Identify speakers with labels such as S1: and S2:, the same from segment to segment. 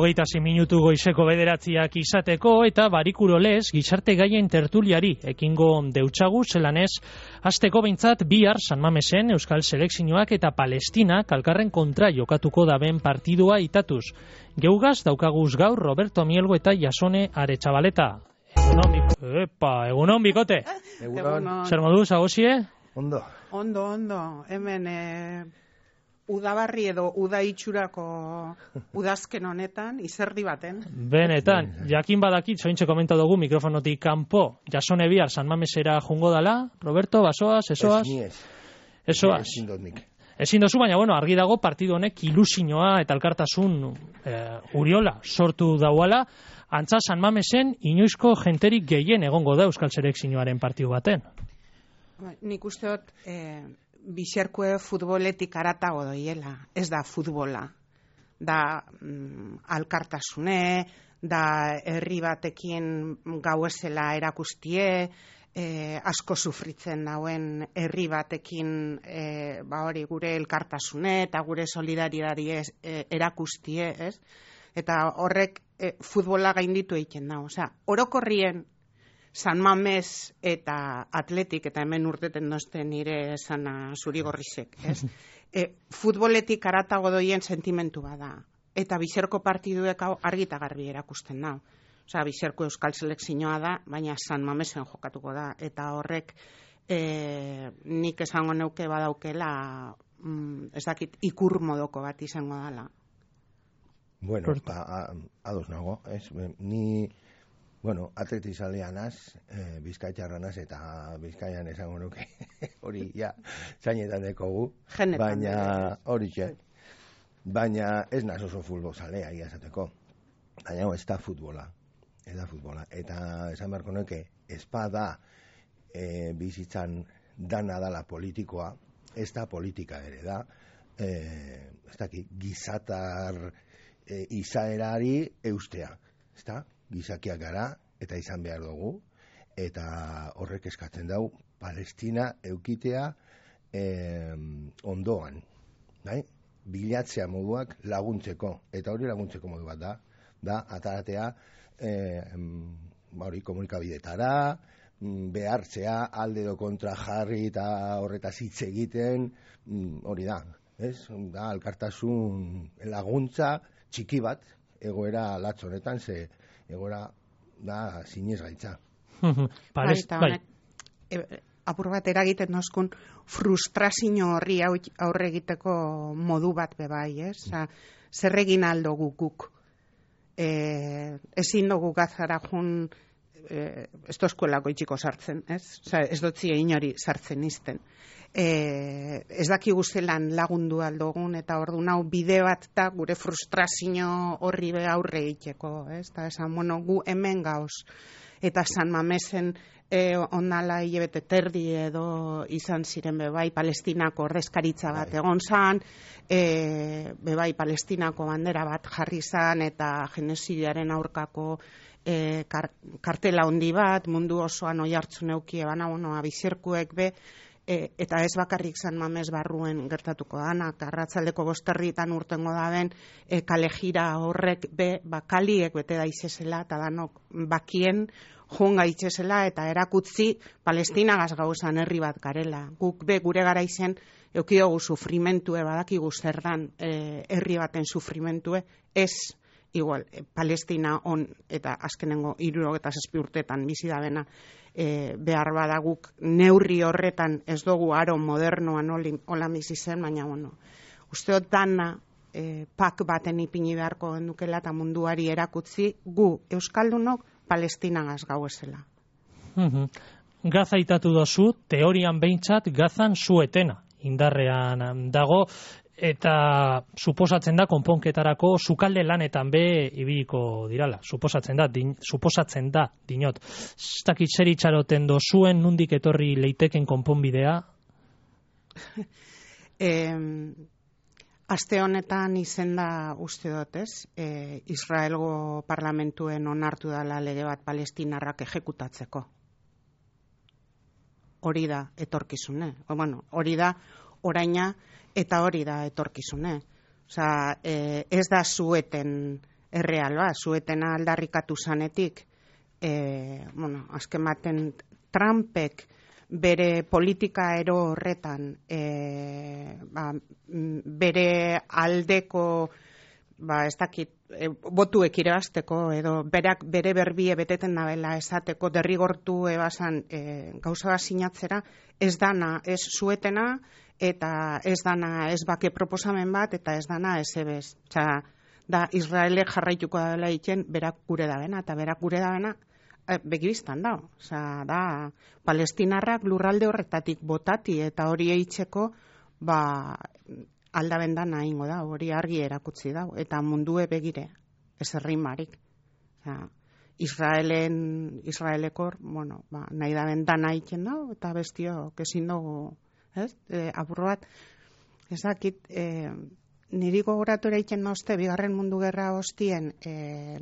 S1: 6 minutu goizeko 9 izateko eta barikuro lez gizarte gaien tertuliari ekingo deutsagu zelanez hasteko behintzat bihar San Mamesen Euskal Selekzioak eta Palestinak elkarren kontra jokatuko daben partidua itatuz. Geugaz daukaguz gaur Roberto Mielgo eta Jasone Aretxabaleta. Egunon bikote.
S2: Egunon.
S1: Zer moduz, agozie?
S2: Ondo. Hemen udabarri edo uda itxurako udazken honetan, izerdi baten.
S1: Benetan, jakin badakit, zointxe komenta dugu mikrofonotik kanpo, Jasone bihar San Mamesera jungo dala, Roberto, basoaz, esoaz? Esoaz. Ezin dozu, baina argi dago partidu honek ilusioa eta elkartasun uriola sortu dauala, antza San Mamesen inoizko jenterik gehien egongo da Euskal Selekzioaren partidu baten.
S2: Nik uste dut bizerkue futboletik aratago doiela, ez da futbola. Da alkartasune, da herri batekin gauezela erakustie, asko sufritzen dauen herri batekin hori gure elkartasune eta gure solidaridadi erakustie, ez? Eta horrek futbola gainditu egiten da. Osea, orokorrien San Mames eta Atletik, eta hemen urteten dozten nire esana zurigorrizek, ez? Futboletik aratago doien sentimentu bada. Eta bizerko partiduek argita garbi erakusten da. Osea, bizerko Euskal Selekzioa da, baina San Mamesen jokatuko da. Eta horrek nik esango neuke badaukela, ez dakit, ikur modoko bat izango dela.
S3: Bueno, ados nago, ez? Ni... atletizaleanaz, bizkaitxarranaz eta bizkaian esango nuke hori zainetan dekogu, baina hori baina ez naz oso futbolzalea iazateko, baina ez da futbola, eta esan beharko nuke espada bizitzan dana dala politikoa, ez da politika ere da, ez da gizatar izaerari eustea, ez da? Gizakiak gara, eta izan behar dugu, eta horrek eskatzen dau, Palestina eukitea ondoan, bilatzea moduak laguntzeko, eta hori laguntzeko modu bat da ataratea komunikabidetara, behartzea, alde do kontra jarri eta horretaz hitz egiten, hori da, da alkartasun laguntza txiki bat, egoera latz honetan, egoera da zinez gaitza.
S2: Apur bat eragiten nozkun frustrazio horri aurre egiteko modu bat bebai, ez? Zer egin aldo guk. Ezin dugu gazara jun ez dozkuelako itxiko sartzen, ez? Ez dotzi inori sartzen izten. Ez dakigu zelan lagundu aldogun, eta orduan hau bide bat da gure frustrazio horri aurre egiteko, ez? Eta esan, gu hemen gauz, eta San Mamesen ondala hilabete terdi edo izan ziren bebai Palestinako ordezkaritza bat egon zan, bebai Palestinako bandera bat jarri zan, eta genozidiaren aurkako kartela handi bat, mundu osoan oi hartzun eukie bana, bizirkuek be, eta ez bakarrik San Mames barruen gertatuko danak, arratzaldeko 5:00 urtengo daben, kale jira horrek be, kaliek bete daizesela, eta danok bakien joan gaitzesela, eta erakutzi Palestinagaz gauzan herri bat garela. Guk be, gure garaizen, eukiogu sufrimentue, badakigu zer dan herri baten sufrimentue, ez igual, Palestina on, eta azkenengo 67 urtetan bizi da bena, behar badaguk neurri horretan ez dugu aro modernoan hola bizi zen, baina usteot dana pak baten ipini beharko gendukela eta munduari erakutzi gu Euskaldunok Palestinagaz gauezela.
S1: Gaza itatu dozu, teorian behintzat Gazan zuetena indarrean dago, eta suposatzen da konponketarako sukalde lanetan be ibiliko dirala. Suposatzen da, dinot. Ez dakit zer itxaroten dozuen, nundik etorri leiteken konponbidea?
S2: Aste honetan izenda uste dut, ez? Israelgo parlamentuen onartu dela lege bat palestinarrak ejekutatzeko. Hori da etorkizune. Hori da oraina eta hori da etorkizune. Osea, ez da zueten erreal ba, zuetena aldarrikatu zanetik, azken baten Trumpek bere politika ero horretan bere aldeko ez dakit botuek irabazteko edo bere berbie beteten dabela esateko derrigortu ebasan gauza bat sinatzera, ez dana, ez zuetena eta ez dana ez bake proposamen bat eta ez dana ez ebez. Da Israelek jarraituko dela egiten berak gure dabena eta berak gure dabena begibiztan da. Da palestinarrak lurralde horretatik botati eta hori eitzeko aldabendan nahingo da, hori argi erakutsi da, eta mundue begire, ez errimarik. Israelekor, nahi da bendan haitzen da, eta bestio, kezin dugu, apurro bat, ez dakit, niri gogoratu egiten nozte, bigarren mundu gerra hostien,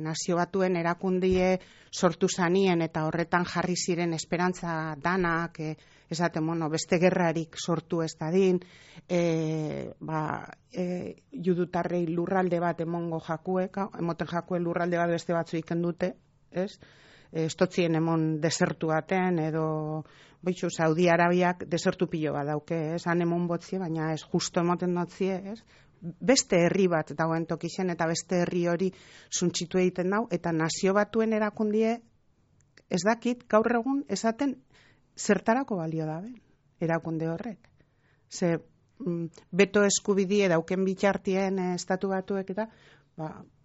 S2: nazio batuen erakundie sortu zanien, eta horretan jarri ziren esperantza danak, esaten, beste gerrarik sortu ez dadin, judutarrei lurralde bat emoten jakue lurralde bat beste batzu iken dute, ez? Estotzien emon desertu baten, edo Saudi Arabiak desertu pilo bat dauke, ez? Han emon botzie, baina ez justo emoten dotzie, ez? Beste herri bat dagoen tokixen, eta beste herri hori suntxitu egiten dau, eta nazio batuen erakundie, ez dakit, gaur egun esaten, zertarako balio dabe, erakunde horrek. Ze, beto eskubidie dauken bitxartien estatu batuek eta,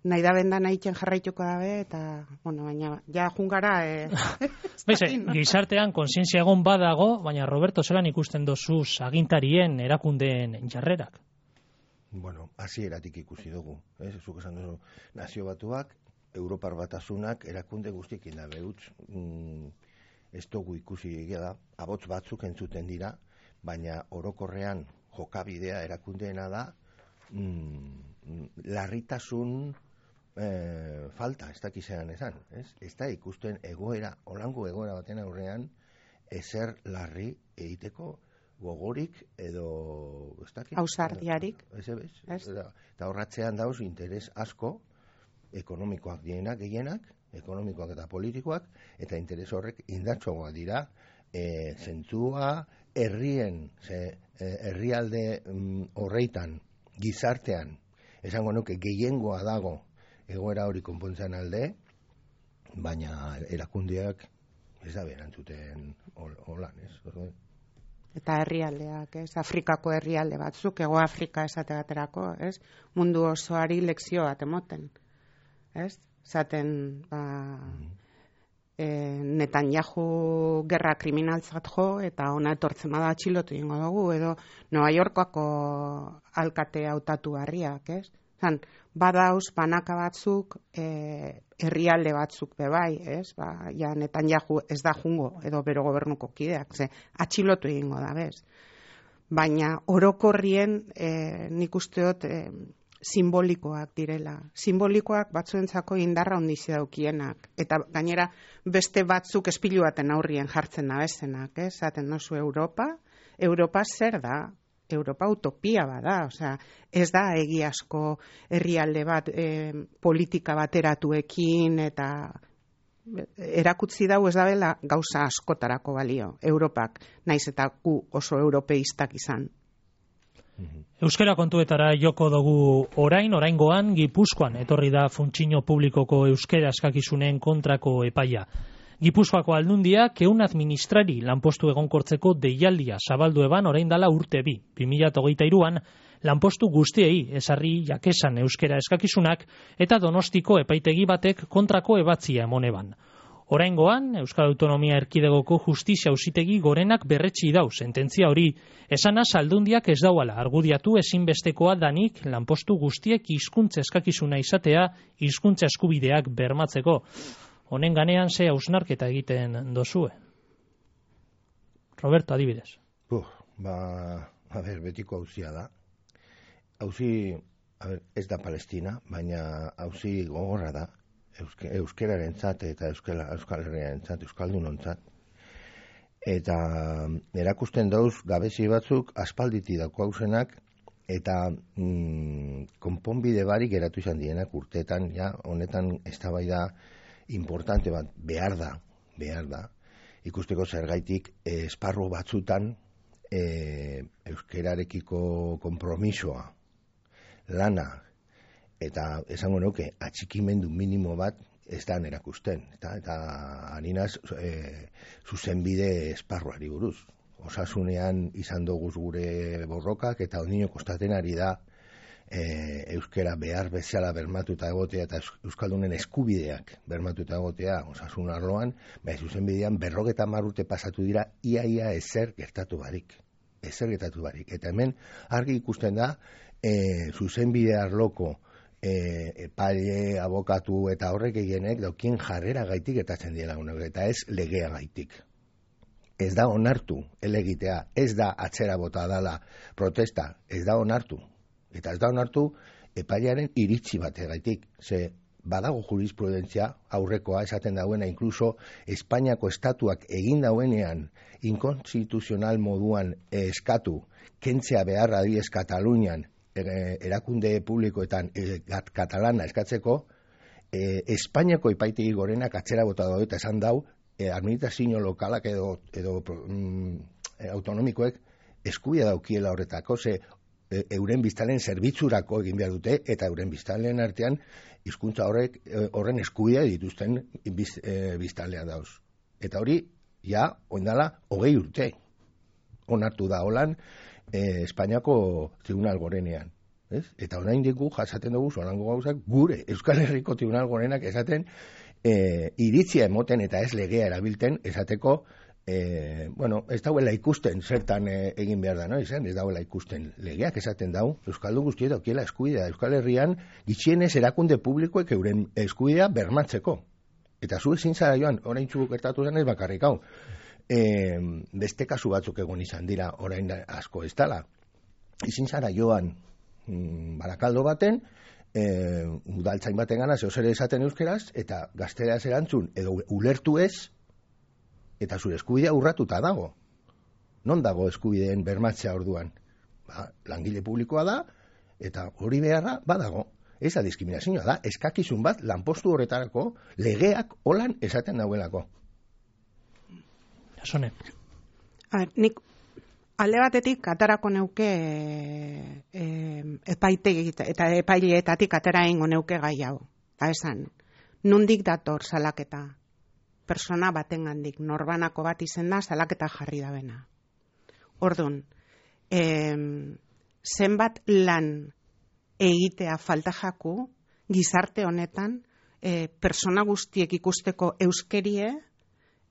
S2: nahi da bendan egiten jarraituko dabe, eta, baina, ja jungara...
S1: Gizartean konsientzia egon badago, baina Roberto, zelan ikusten dozuz agintarien erakundeen jarrerak?
S3: Hasieratik ikusi dugu. Zuk esan duzu, nazio batuak, Europar Batasunak erakunde guztiekin da behutz, ez dugu ikusi egia da, abots batzuk entzuten dira, baina orokorrean jokabidea erakundeena da, larritasun falta, ez dakizean esan. Ez da ikusten egoera, olango egoera baten aurrean, ezer larri egiteko gogorik edo...
S2: Ausardiarik.
S3: Eta horratzean dauz interes asko, ekonomikoak dienak gehienak, ekonomikoak eta politikoak, eta interes horrek indartsoagoak dira, zentzua, herrialde horreitan, gizartean, esango nuke gehiengoa dago egoera hori konpontzen alde, baina erakundeak ez da berantzuten holan, ez?
S2: Eta herrialdeak, ez? Afrikako herrialde batzuk, Hego Afrika esate baterako, ez? Mundu osoari lekzio bat emoten, ez? Zaten, Netanyahu gerra kriminaltzat jo, eta ona etortzen bada atxilotu ingo dugu, edo Nueva Yorkako alkate hautatu harriak, ez? Badauz, banaka batzuk, herrialde batzuk bebai, ez? Netanyahu ez da jungo, edo bero gobernuko kideak, atxilotu egingo da, bez? Baina orokorrien nik usteot simbolikoak direla. Simbolikoak batzuentzako indarra ondizi daukienak. Eta gainera beste batzuk espilu baten aurrien jartzen nabezenak, ez? Zaten nozu Europa zer da? Europa utopia bada, ez da egiazko herrialde bat politika bateratuekin eta erakutsi dau ez dabela gauza askotarako balio. Europak, naiz eta gu oso europeistak izan.
S1: Euskara kontuetara joko dugu oraingoan Gipuzkoan etorri da funtzio publikoko euskara eskakizunen kontrako epaia. Gipuzkoako aldundiak ehun administrari lanpostu egonkortzeko deialdia zabaldu eban orain dala urte 2023an lanpostu guztiei ezarri jakesan euskara eskakizunak eta Donostiko epaitegi batek kontrako ebatzia emon eban. Oraingoan, Euskal Autonomia Erkidegoko Justizia Auzitegi gorenak berretsi dau sententzia hori, esanaz aldundiak ez dauala argudiatu ezinbestekoa danik lanpostu guztiek hizkuntza eskakizuna izatea hizkuntza eskubideak bermatzeko. Honen ganean ze hausnarketa egiten dozue? Roberto, adibidez.
S3: Betiko auzia da. Auzi, ez da Palestina, baina auzi gogorra da. Euskerarentzat eta Euskal Herriarentzat, Euskaldunontzat. Eta erakusten dauz gabezi batzuk aspalditi dako hausenak eta konponbide barik geratu izan dienak urteetan, ja, honetan eztabaida importante bat behar da, ikusteko zergaitik esparru batzutan euskerarekiko konpromisoa, lana, eta esango nuke atxikimendu minimo bat ez da erakusten, eta harinaz zuzenbide esparruari buruz. Osasunean izan doguz gure borrokak, eta ondino kostaten ari da euskera behar bezala bermatuta egotea, eta euskaldunen eskubideak bermatuta egotea osasun arloan, zuzenbidean 50 urte pasatu dira, ia ezer gertatu barik. Eta hemen argi ikusten da zuzenbide arloko epaile, abokatu eta horrek egienek daukien jarrera gaitik gertatzen dira, eta ez legea gaitik. Ez da onartu elegitea, ez da atzera bota dala protesta, ez da onartu. Eta ez da onartu epailearen iritzi bategaitik. Ze badago jurisprudentzia aurrekoa esaten dauena, inkluso Espainiako estatuak egin dauenean inkonstituzional moduan eskatu, kentzea beharra diez Katalunian erakunde publikoetan katalana eskatzeko, Espainiako epaitegi gorenak atzera bota daude eta esan dau, administrazio lokalak edo autonomikoek eskubidea daukiela horretako, ze euren biztanleen zerbitzurako egin behar dute, eta euren biztanleen artean hizkuntza horren eskubidea dituzten biztanlea dauz. Eta hori, ja, oindala 20 urte onartu da holan Espainiako tribunal gorenean. Eta orain diku jasaten dugu zorango gauzak gure Euskal Herriko tribunal gorenak esaten iritzia emoten eta ez legea erabilten esateko ez dauela ikusten zertan egin behar da, no? Ez dauela ikusten legeak esaten dau, Euskaldun guztieta okiela eskubidea, Euskal Herrian gitxienez erakunde publikoek euren eskubidea bermatzeko. Eta zu ezin zara joan, orain txuk gertatu zen ez bakarrik hau. Beste kasu batzuk egon izan dira orain asko ez dala. Ezin zara joan Barakaldo baten, udaltzain baten gana zehoz ere esaten euskeraz, eta gazteraz erantzun, edo ulertu ez, eta zure eskubidea urratuta dago. Non dago eskubideen bermatzea orduan? Langile publikoa da, eta hori beharra badago. Ez da diskriminazioa da, eskakizun bat lanpostu horretarako legeak holan esaten dauelako.
S1: Jasone.
S2: Nik alde batetik atarako neuke epaitegi eta epaileetatik atera ingo neuke gai hau. Eta esan, nondik dator salaketa? Persona batengandik, norbanako bat izen da, salaketa jarri da bena. Orduan, zenbat lan egitea falta jaku, gizarte honetan, persona guztiek ikusteko euskerie,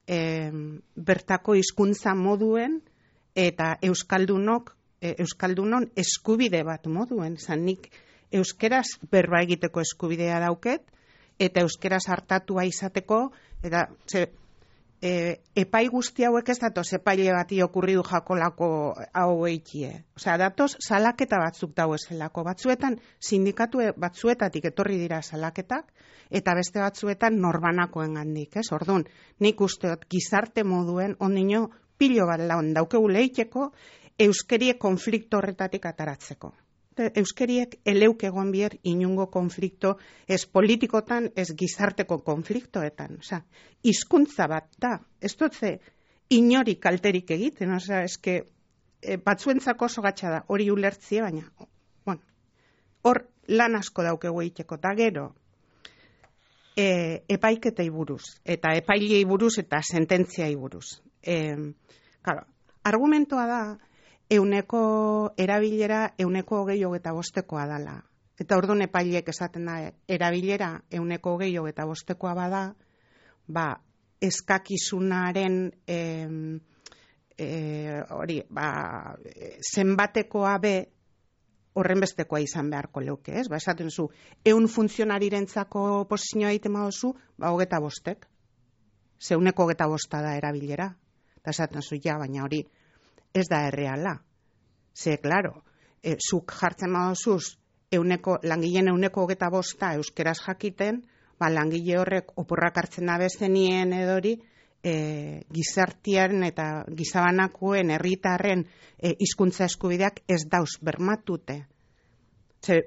S2: bertako hizkuntza moduen, eta euskaldunon eskubide bat moduen. Zanik euskeraz berba egiteko eskubidea dauket, eta euskeraz hartatua izateko, eta epai guzti hauek ez datoz epaile bati okurridu jakolako hau eikie. Osea, datoz salaketa batzuk dauezelako. Batzuetan, sindikatu batzuetatik etorri dira salaketak, eta beste batzuetan norbanakoen gandik. Orduan, nik usteot gizarte moduen ondino pilo bat laun daukegu leiteko euskerie konflikto horretatik ataratzeko. Euskeriek eleuk egon bier inungo konflikto ez politikotan, ez gizarteko konfliktoetan. Osea, hizkuntza bat da. Ez dutze inori kalterik egiten. Osea, eske batzuentzako oso gatsa da. Hori ulertzie, baina, bueno, hor lan asko daukegu egiteko. Ta gero, epaiketei buruz, eta epailei buruz, eta sententziai buruz. Claro, argumentoa da, euneko erabilera 25% dala. Eta orduan epaileek esaten da, erabilera 25% bada, eskakizunaren zenbatekoa be horren bestekoa izan beharko leuke, ez? Esaten zu, 100 funtzionarirentzako posizioa egiten baduzu, 25. Ze 25% da erabilera. Eta esaten zu, ja, baina hori ez da erreala. Ze, klaro, zuk jartzen badozuz langileen 25% euskeraz jakiten, langile horrek oporrak hartzen da bezenien edori, gizartiaren eta gizabanakuen herritarren hizkuntza eskubideak ez dauz bermatute. Ze,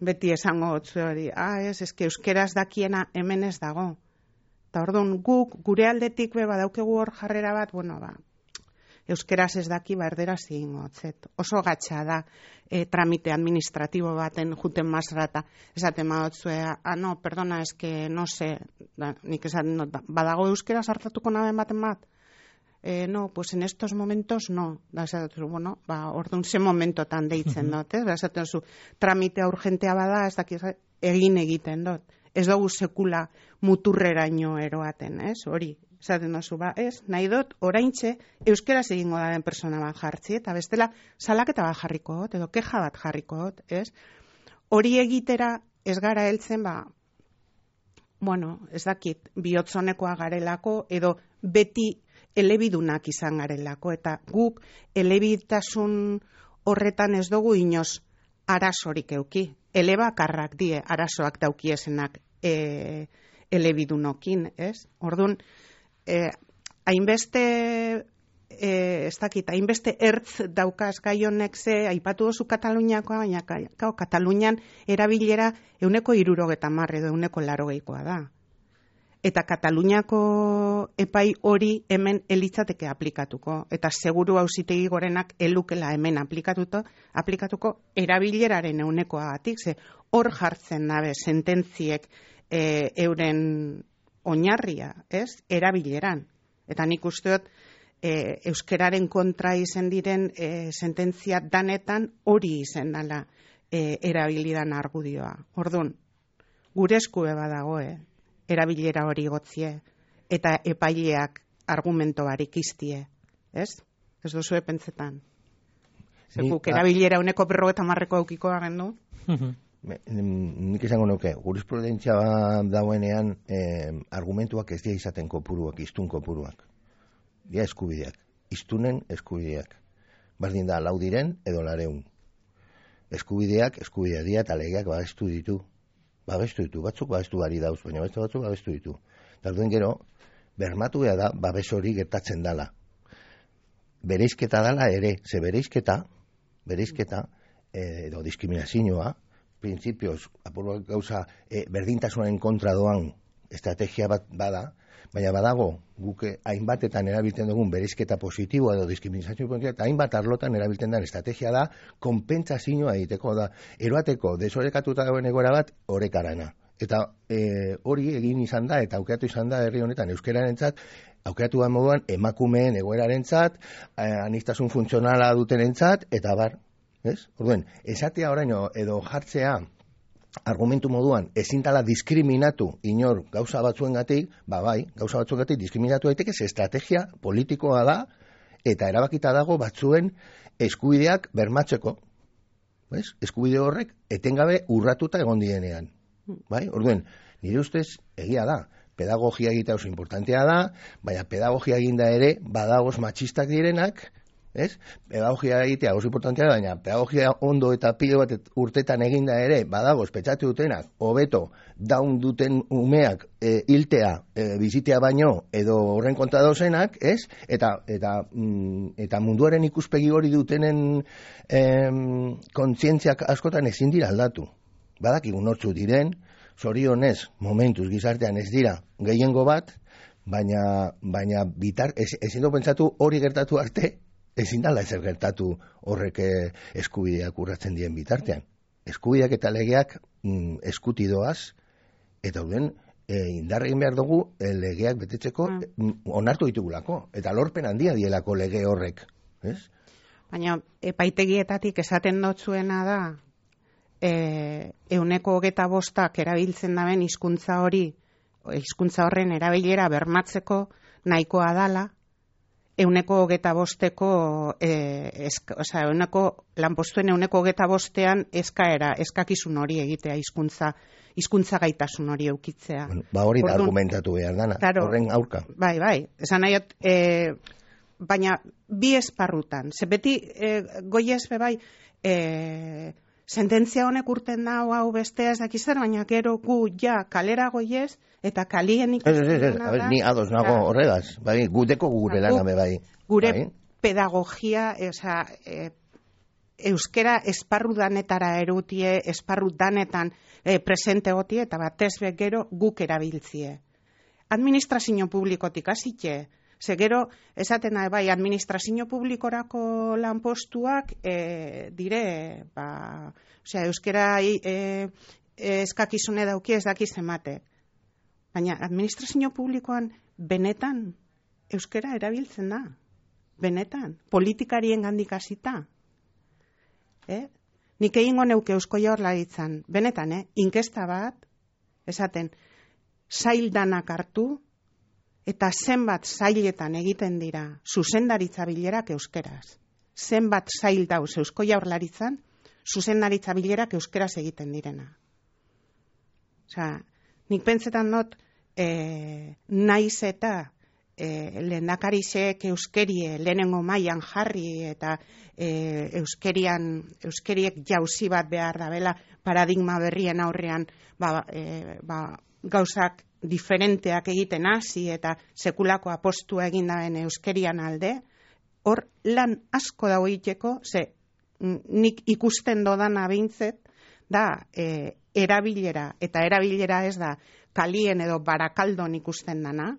S2: beti esango gotzu hori, eske euskeraz dakiena hemen ez dago. Eta orduan guk gure aldetik badaukegu hor jarrera bat, euskeraz ez daki erderaz egingo hotzet. Oso gatsa da tramite administratibo baten juten masrata. Esaten madotzue, no, perdona, eske, no sé, nik esaten dut, badago euskeraz hartatuko naben baten bat? No, pues en estos momentos no. Da esaten bueno, orduan ze momentotan deitzen dut, Da esaten zu, tramitea urgentea bada, ez daki egiten dut. Ez dugu sekula muturreraino eroaten, hori. Esaten dozu, nahi dut, oraintxe, euskeraz egingo daren persona bat jartzi, eta bestela, salaketa bat jarriko dut, edo keja bat jarriko dut, Hori egitera ez gara heltzen, ez dakit, bihotzonekoa garelako, edo beti elebidunak izan garelako, eta guk elebitasun horretan ez dugu inoz arazorik euki. Elebakarrak die arazoak daukiesenak elebidunokin, Orduan, hainbeste hainbeste ertz daukaz gai honek ze, aipatu dozu Kataluniakoa, baina Katalunian erabilera 170 edo 180 da. Eta Kataluniako epai hori hemen elitzateke aplikatuko. Eta seguru auzitegi gorenak elukela hemen aplikatuko erabileraren 100%, ze hor jartzen dabe sententziek euren oinarria, erabileran. Eta nik uste dut euskeraren kontra izen diren sententzia danetan hori izen dela erabilidan argudioa. Orduan, gure eskube badago, erabilera hori gotzie, eta epaileak argumento barik iztie, ez? Ez duzue pentsetan. Zekuk erabilera 150 aukiko agendu?
S3: Nik izango nuke, jurisprudentzia dauenean argumentuak ez dira izaten kopuruak, iztun kopuruak. Dia eskubideak, iztunen eskubideak. Bardin da, lau diren edo 200. Eskubideak dira eta legeak babestu ditu. Batzuk babestu bari dauz, baina batzuk babestu ditu. Tarduen gero, bermatu behar da, babes hori gertatzen dala. Bereizketa dala ere, ze bereizketa, edo diskriminazioa, printzipioz, apurua gauza, berdintasunaren kontra doan estrategia bat bada, baina badago, guke hainbatetan erabiltzen dugun bereizketa positiboa edo diskriminazio positiboa, eta hainbat arlotan erabiltzen den estrategia da, konpentsazioa egiteko da, eroateko desorekatuta dagoen egoera bat, orekarana. Eta hori egin izan da, eta aukeratu izan da herri honetan euskerarentzat, aukeratu da moduan emakumeen egoerarentzat, aniztasun funtzionala dutenentzat, eta bar, Orduan, esatea oraino edo jartzea argumentu moduan ezin dela diskriminatu inor gauza batzuengatik, gauza batzuengatik diskriminatu daiteke, ze estrategia politikoa da eta erabakita dago batzuen eskubideak bermatzeko. Eskubide horrek etengabe urratuta egon dienean. Orduan, nire ustez egia da. Pedagogia egitea oso importantea da, baina pedagogia eginda ere badagoz matxistak direnak, pedagogia egitea oso importantea da, baina pedagogia ondo eta pilo bat urtetan eginda ere badagoz petxatu dutenak, hobeto daun duten umeak hiltea, bizitea baino, edo horren kontra dauzenak, eta munduaren ikuspegi hori dutenen kontzientziak askotan ezin dira aldatu. Badakigu nortzu diren, zorionez, momentuz gizartean ez dira gehiengo bat, baina ezin du pentsatu hori gertatu arte, ezin dala ezer gertatu horrek eskubideak urratzen dien bitartean. Eskubideak eta legeak eskuti doaz, eta horren indarregin behar dugu legeak betetzeko onartu ditugulako, eta lorpen handia dielako lege horrek.
S2: Baina epaitegietatik esaten dotzuena da, 125 erabiltzen daben hizkuntza horren erabilera bermatzeko nahikoa dala, 125eko lanpostuen 125ean eskakizun hori egitea hizkuntza gaitasun hori eukitzea.
S3: Hori da argumentatu behar dana, horren aurka.
S2: Bai, esan nahiot, baina bi esparrutan, ze beti goiez bebai sententzia honek urten da, hau bestea ez dakizar, baina gero gu ja kalera goiez, eta kalien ikusten da.
S3: Ni ados nago horregaz, bai, guteko gure laname bai.
S2: Gure pedagogia, euskera esparru danetara erutie, esparru danetan presente gotie, eta batez gero guk erabiltzie. Administrazio publikotik hasite, ze gero, esaten da, bai, administrazio publikorako lanpostuak dire, euskera eskakizune dauki ez dakiz emate. Baina administrazio publikoan benetan euskera erabiltzen da. Benetan, politikarien gandik hasita. Nik egingo neuke Eusko Jaurlaritzan, benetan, inkesta bat, esaten, sail danak hartu, eta zenbat sailetan egiten dira zuzendaritza bilerak euskeraz. Zenbat sail dauz Eusko Jaurlaritzan, zuzendaritza bilerak euskeraz egiten direna. Nik pentsetan not, naiz eta lehendakarizek euskerie lehenengo mailan jarri eta euskeriek jauzi bat behar dabela paradigma berrien aurrean gauzak diferenteak egiten hasi eta sekulako apostua egin daben euskerian alde, hor lan asko dago egiteko, ze nik ikusten dodana behintzet, da erabilera, eta erabilera ez da kalien edo barakaldon ikusten dana,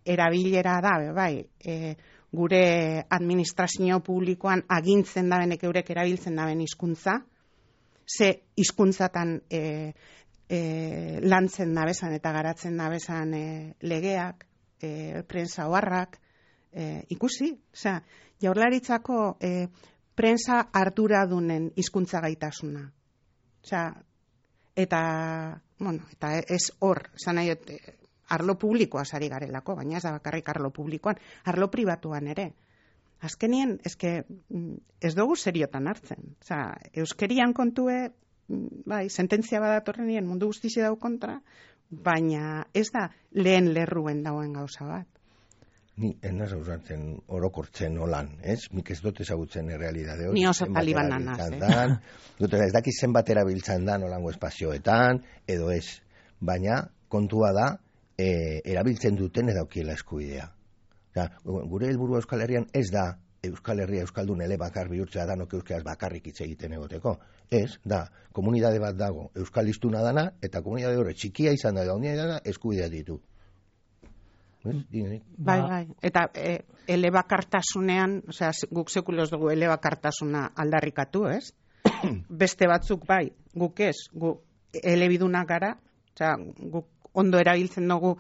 S2: erabilera da, bai, gure administrazio publikoan agintzen dabenek eurek erabiltzen daben hizkuntza, ze hizkuntzatan lantzen dabesan eta garatzen dabesan legeak, prensa oharrak, ikusi, Jaurlaritzako prensa arduradunen hizkuntza gaitasuna. Eta ez hor, arlo publikoa sari garelako, baina ez da bakarrik arlo publikoan, arlo pribatuan ere. Azkenien, ez dugu seriotan hartzen. Euskerian kontue, bai, sententzia badatorrenien mundu guztizi dau kontra, baina ez da lehen lerruen dauen gauza bat.
S3: Ni enaz ausartzen orokortzen holan, ez? Nik ez dut ezagutzen errealidade hori.
S2: Ni oso talibanan naz,
S3: ez dakiz zenbat erabiltzen dan holango espazioetan, edo ez. Baina, kontua da, erabiltzen duten edaukiela eskubidea. Gure helburua Euskal Herrian ez da Euskal Herria Euskaldun elebakar bihurtzea danok euskeraz bakarrik hitz egiten egoteko. Ez, da, komunidade bat dago Euskal hiztuna dana, eta komunidade hori txikia izan da, dana eskubidea ditu.
S2: Bai, eta elebakartasunean, guk sekuloz dugu elebakartasuna aldarrikatu, ez? Beste batzuk bai, guk ez, guk elebidunak gara, guk ondo erabiltzen dugu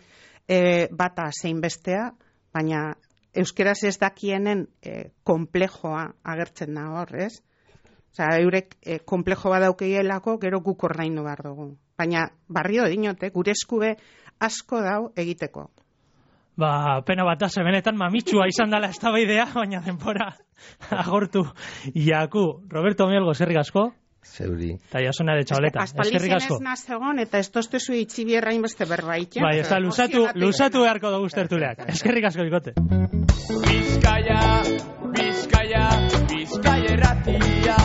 S2: bata zein bestea, baina euskeraz ez dakienen konplejoa agertzen da hor, ez? Eurek konplejo bat daukeielako, gero guk ordaindu behar dugu. Baina barrio dinote, gure eskube asko dau egiteko.
S1: Pena bat da, benetan mamitsua izan dela eztabaidea, baina denbora agortu jaku. Roberto Mielgo, eskerrik asko.
S3: Zeuri.
S1: Eta jasona de txaboleta. Eskerrik asko.
S2: Azpalizen ez nazegon, eta ez toztezu itxibierra inbeste berbaik.
S1: Bai, ez da, lusatu beharko dugu tertuleak. Eskerrik asko, bikote.
S4: Bizkaia, Bizkaia, Bizkaia erratia.